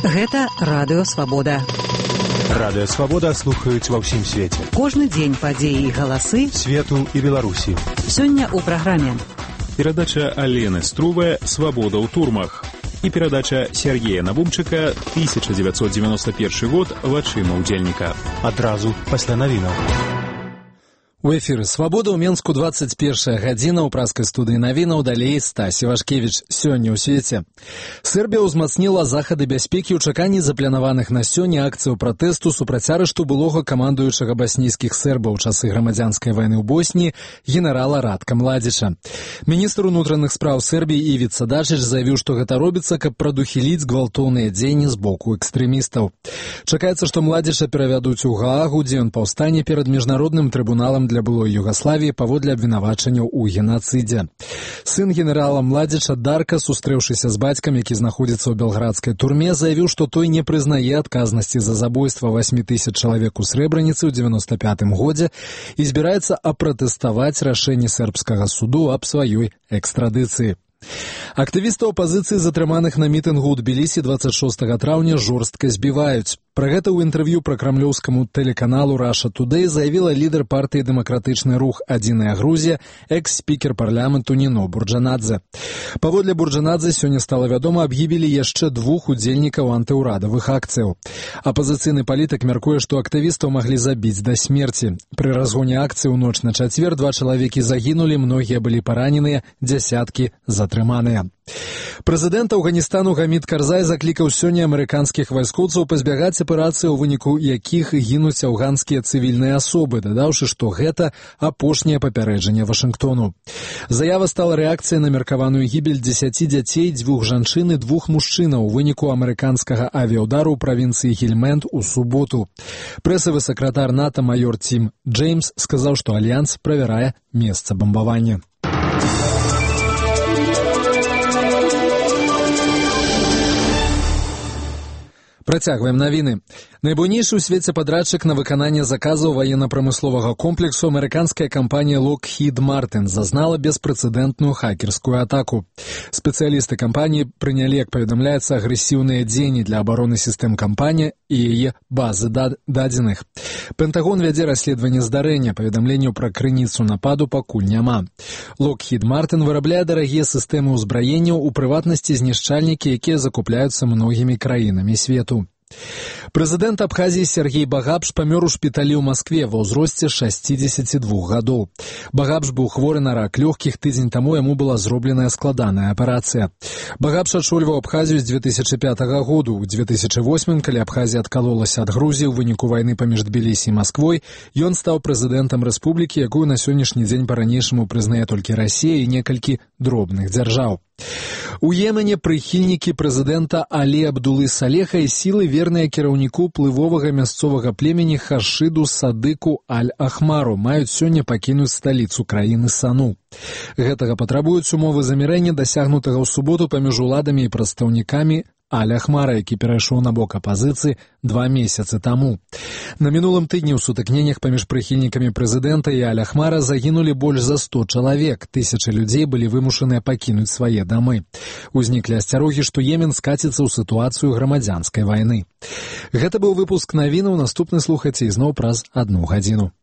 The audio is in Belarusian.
Гэта Радыё Свабода. Радыё Свабода слухаюць ва ўсім свеце. Кожны дзень падзеі і галасы свету і Беларусі. Сёння ў праграме. Перадача Алены Струве «Свобода ў турмах» і перадача Сергея Набумчыка 1991 год «Вачыма ўдзельніка». Адразу пасля навінаў. У эфіры «Свабода» ў Менску 21 гадзіна ў праскай студыі навінаў, далей Стась Івашкевіч. Сёння ў свеце. Сербія ўзмацніла захады бяспекі ў чаканні запланаваных на сёння акцыяў пратэсту супраць арышту былога камандуючага баснійскіх сербаў у часы грамадзянскай вайны ў Босніі генерала Ратка Младзіча. Міністр унутраных спраў Сербіі Івіца Дачыч заявіў, што гэта робіцца, каб прадухіліць гвалтоўныя дзеянні з боку экстрэмістаў. Чакаецца, што Младзіча перавядуць у Гаагу, дзе ён паўстане перад міжнародным трыбуналам для былой Югаславіі паводле абвінавачанняў у генацыдзе. Сын генерала Младзіча Дарка, сустрэўшыся з бацькам, які знаходзіцца ў белградскай турме, заявіў, што той не прызнае адказнасці за забойства 8000 чалавек у Срэбраніцы ў 95 годзе і збіраецца апратэставаць рашэнне сербскага суду аб сваёй экстрадыцыі. Актывістаў апазіцыі, затрыманых на мітынгу ў Тбілісі 26 траўня, жорстка збіваюць. Пра гэта ў інтэрв'ю пракрамлёўскаму тэлеканалу Russia Today заявіла лідар партыі «Дэмакратычны рух. Адзіная Грузія», экс-спікер парламенту Ніно Бурджанадзе. Паводле Бурджанадзе сёння стала вядома аб гібелі яшчэ 2 удзельнікаў антыўрадавых акцыяў. Апазіцыйны палітык мяркуе, што актывістаў маглі забіць да смерці. Пры разгоне акцыі ў ноч на чацвер 2 чалавекі загінулі, многія былі параненыя, дзясяткі затрыманыя. Прэзідэнт Афганістану Гамід Карзай заклікаў сёння амерыканскіх вайскоўцаў пазбягаць аперацыі, у выніку якіх гінуць афганскія цывільныя асобы, дадаўшы, што гэта апошняе папярэджанне Вашынгтону. Заява стала рэакцыяй на меркаваную гібель 10 дзяцей, 2 жанчын і 2 мужчынаў у выніку амерыканскага авіяўдару ў правінцыі Гельмэнд у суботу. Прэсавы сакратар НАТО майор Тім Джеймс сказаў, што альянс правярае месца бамбавання. Працягваем навіны. Найбуйнейшы ў свеце падрадчык на выкананне заказаў ваенна-прамысловага комплексу амерыканская кампанія Lockheed Martin зазнала беспрэцэдэнтную хакерскую атаку. Спецыялісты кампаніі прынялі, як паведамляецца, агрэсіўныя дзеянні для абароны сістэм кампаніі і яе базы дадзеных. Пентагон вядзе расследаванне здарэння, паведамленняў пра крыніцу нападу пакуль няма. Lockheed Martin вырабляе дарагія сістэмы ўзбраенняў, у прыватнасці знішчальнікі, якія закупляюцца многімі краінамі свету. Прэзідэнт Абхазіі Сергей Багапш памёр у шпіталі ў Маскве ва ўзросце 62 гадоў. Багапш быў хворы на рак лёгкіх, тыдзень таму яму была зробленая складаная аперацыя. Багапш ачольваў Абхазію з 2005 году. У 2008, калі Абхазія адкалолася ад Грузіі ў выніку вайны паміж Тбілісі і Масквой, ён стаў прэзідэнтам рэспублікі, якую на сённяшні дзень па-ранейшаму прызнае толькі Расія і некалькі дробных дзяржаў. У Йемене прыхільнікі прэзідэнта Алі Абдулы Салеха і сілы, верныя кіраўніку плывовага мясцовага племені Хашыду Садыку Аль-Ахмару, маюць сёння пакінуць сталіцу краіны Сану. Гэтага патрабуюць умовы замірэння, дасягнутага ў суботу паміж уладамі і прадстаўнікамі Аль-Ахмара, які перайшоў на бок апазіцыі 2 месяцы таму. На мінулым тыдні ў сутыкненнях паміж прыхільнікамі прэзідэнта і Аль-Ахмара загінулі больш за 100 чалавек. Тысячы людзей былі вымушаныя пакінуць свае дамы. Узніклі асцярогі, што Йемен скаціцца ў сітуацыю грамадзянскай вайны. Гэта быў выпуск навінаў, наступны слухайце ізноў праз 1 гадзіну.